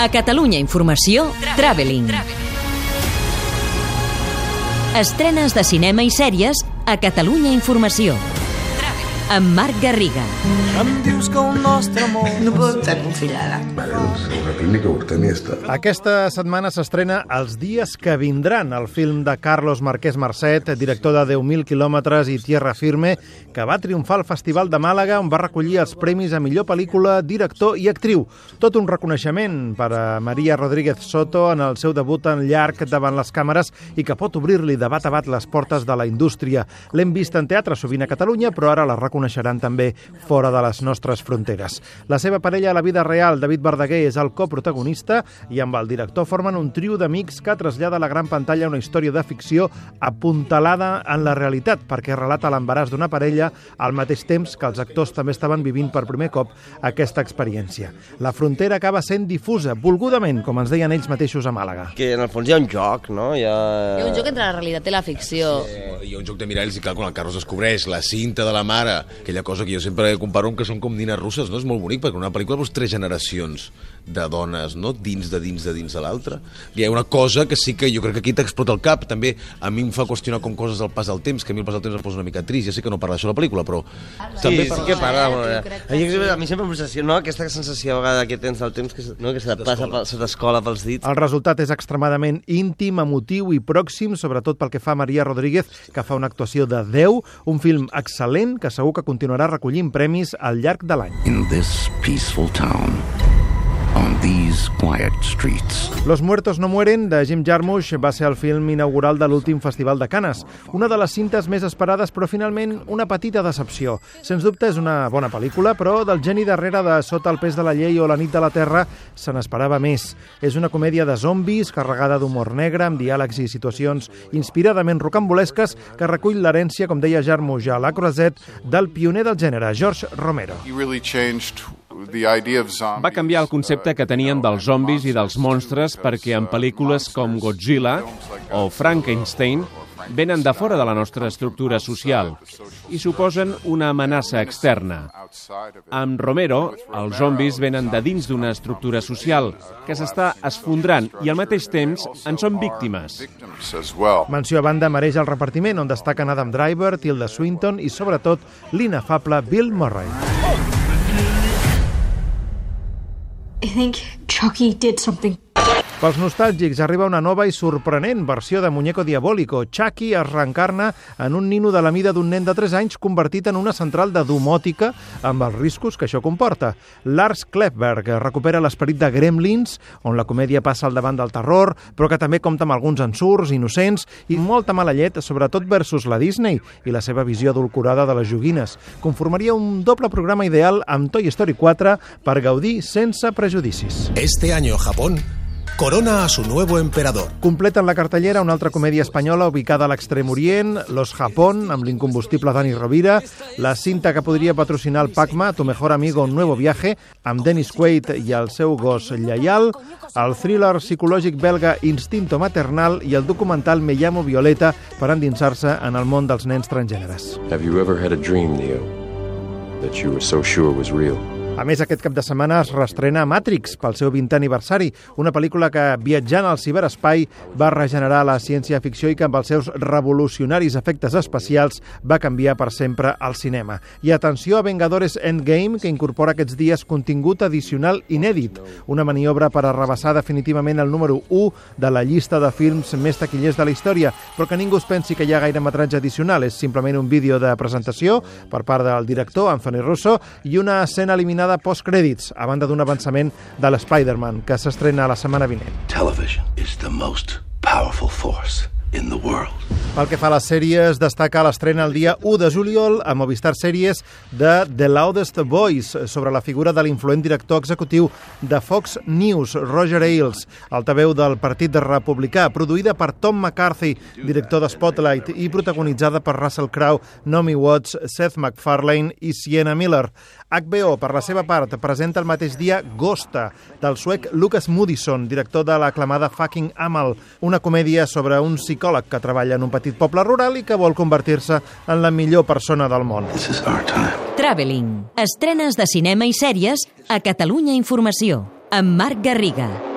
A Catalunya Informació, Traveling. Estrenes de cinema i sèries a Catalunya Informació. Amb Marc Garriga. Em dius que el nostre món... No puedo estar confilada. Vale, doncs una clínica urtanista. Aquesta setmana s'estrena Els dies que vindran, el film de Carlos Marquès Marcet, director de 10.000 quilòmetres i Tierra Firme, que va triomfar al Festival de Màlaga, on va recollir els premis a millor pel·lícula, director i actriu. Tot un reconeixement per a Maria Rodríguez Soto en el seu debut en llarg davant les càmeres i que pot obrir-li de bat a bat les portes de la indústria. L'hem vist en teatre sovint a Catalunya, però ara la reconeixeran també fora de les nostres fronteres. La seva parella a la vida real, David Verdaguer, és el coprotagonista i amb el director formen un trio d'amics que trasllada a la gran pantalla una història de ficció apuntalada en la realitat, perquè relata l'embaràs d'una parella al mateix temps que els actors també estaven vivint per primer cop aquesta experiència. La frontera acaba sent difusa, volgudament, com ens deien ells mateixos a Màlaga. Que en el fons hi ha un joc, no? Hi ha un joc entre la realitat i la ficció. Hi ha un joc de miralls i clar, quan el Carlos descobreix la cinta de la mare, aquella cosa que jo sempre comparo amb que són com nines russes, no? És molt bonic, perquè en una pel·lícula veus 3 generacions de dones, no? Dins de l'altra. Hi ha una cosa que sí que jo crec que aquí t'explota el cap, també a mi em fa qüestionar com coses del pas del temps, que a mi el pas del temps em posa una mica trist, ja sé que no parla d'això a la pel·lícula, però... Sí que parla d'alguna manera. A mi sempre m'obsessiona, no? Aquesta sensació a vegada que tens del temps, que se passa, se t'escola pels dits. El resultat és extremadament íntim, emotiu i pròxim, sobretot pel que fa a Maria Rodríguez, que fa una actuació de 10, un film excel·lent que segur que continuarà recollint premis al llarg de l'any. In this peaceful town, on these quiet streets. Los muertos no mueren, de Jim Jarmusch, va ser el film inaugural de l'últim Festival de Canes. Una de les cintes més esperades, però finalment una petita decepció. Sens dubte és una bona pel·lícula, però del geni darrere de Sota el pes de la llei o La nit de la terra se n'esperava més. És una comèdia de zombis, carregada d'humor negre, amb diàlegs i situacions inspiradament rocambolesques, que recull l'herència, com deia Jarmusch a La Croisette, del pioner del gènere, George Romero. Va canviar el concepte que tenien dels zombis i dels monstres perquè en pel·lícules com Godzilla o Frankenstein venen de fora de la nostra estructura social i suposen una amenaça externa. Amb Romero, els zombis venen de dins d'una estructura social que s'està esfondrant i al mateix temps en són víctimes. Menció a banda mereix el repartiment, on destaquen Adam Driver, Tilda Swinton i sobretot l'inefable Bill Murray. I think Chucky did something. Pels nostàlgics arriba una nova i sorprenent versió de Muñeco Diabólico. Chucky es reencarna en un nino de la mida d'un nen de 3 anys convertit en una central de domòtica amb els riscos que això comporta. Lars Klefberg recupera l'esperit de Gremlins, on la comèdia passa al davant del terror, però que també compta amb alguns ensurts innocents i molta mala llet, sobretot versus la Disney i la seva visió adulcorada de les joguines. Conformaria un doble programa ideal amb Toy Story 4 per gaudir sense prejudicis. Este año Japón corona a su nuevo emperador. Completen la cartellera una altra comèdia espanyola ubicada a l'Extrem Orient, Los Japón, amb l'incombustible Dani Rovira, la cinta que podria patrocinar el Pacma, Tu mejor amigo, un nuevo viaje, amb Dennis Quaid i el seu gos lleial, el thriller psicològic belga Instinto maternal i el documental Me llamo Violeta per endinsar-se en el món dels nens transgèneres. Have you ever had a dream, Neo, that you were so sure was real? A més, aquest cap de setmana es reestrena Matrix pel seu 20è aniversari, una pel·lícula que, viatjant al ciberespai, va regenerar la ciència-ficció i que amb els seus revolucionaris efectes especials va canviar per sempre el cinema. I atenció a Vengadores Endgame, que incorpora aquests dies contingut addicional inèdit, una maniobra per arrabassar definitivament el número 1 de la llista de films més taquillers de la història, però que ningú es pensi que hi ha gaire metratge addicional, és simplement un vídeo de presentació per part del director, Anthony Russo, i una escena eliminada postcrèdits, a banda d'un avançament de l'Spider-Man, que s'estrena la setmana vinent. Television is the most powerful force in the world. Pel que fa a les sèries, destaca l'estrena el dia 1 de juliol a Movistar Sèries de The Loudest Voice, sobre la figura de l'influent director executiu de Fox News, Roger Ailes, altaveu del Partit Republicà, produïda per Tom McCarthy, director de Spotlight, i protagonitzada per Russell Crowe, Naomi Watts, Seth MacFarlane i Sienna Miller. HBO, per la seva part, presenta el mateix dia Ghosta, del suec Lucas Moodysson, director de l'aclamada Fucking Amal, una comèdia sobre un psicòleg que treballa en un petit poble rural i que vol convertir-se en la millor persona del món. Traveling. Estrenes de cinema i sèries a Catalunya Informació, amb Marc Garriga.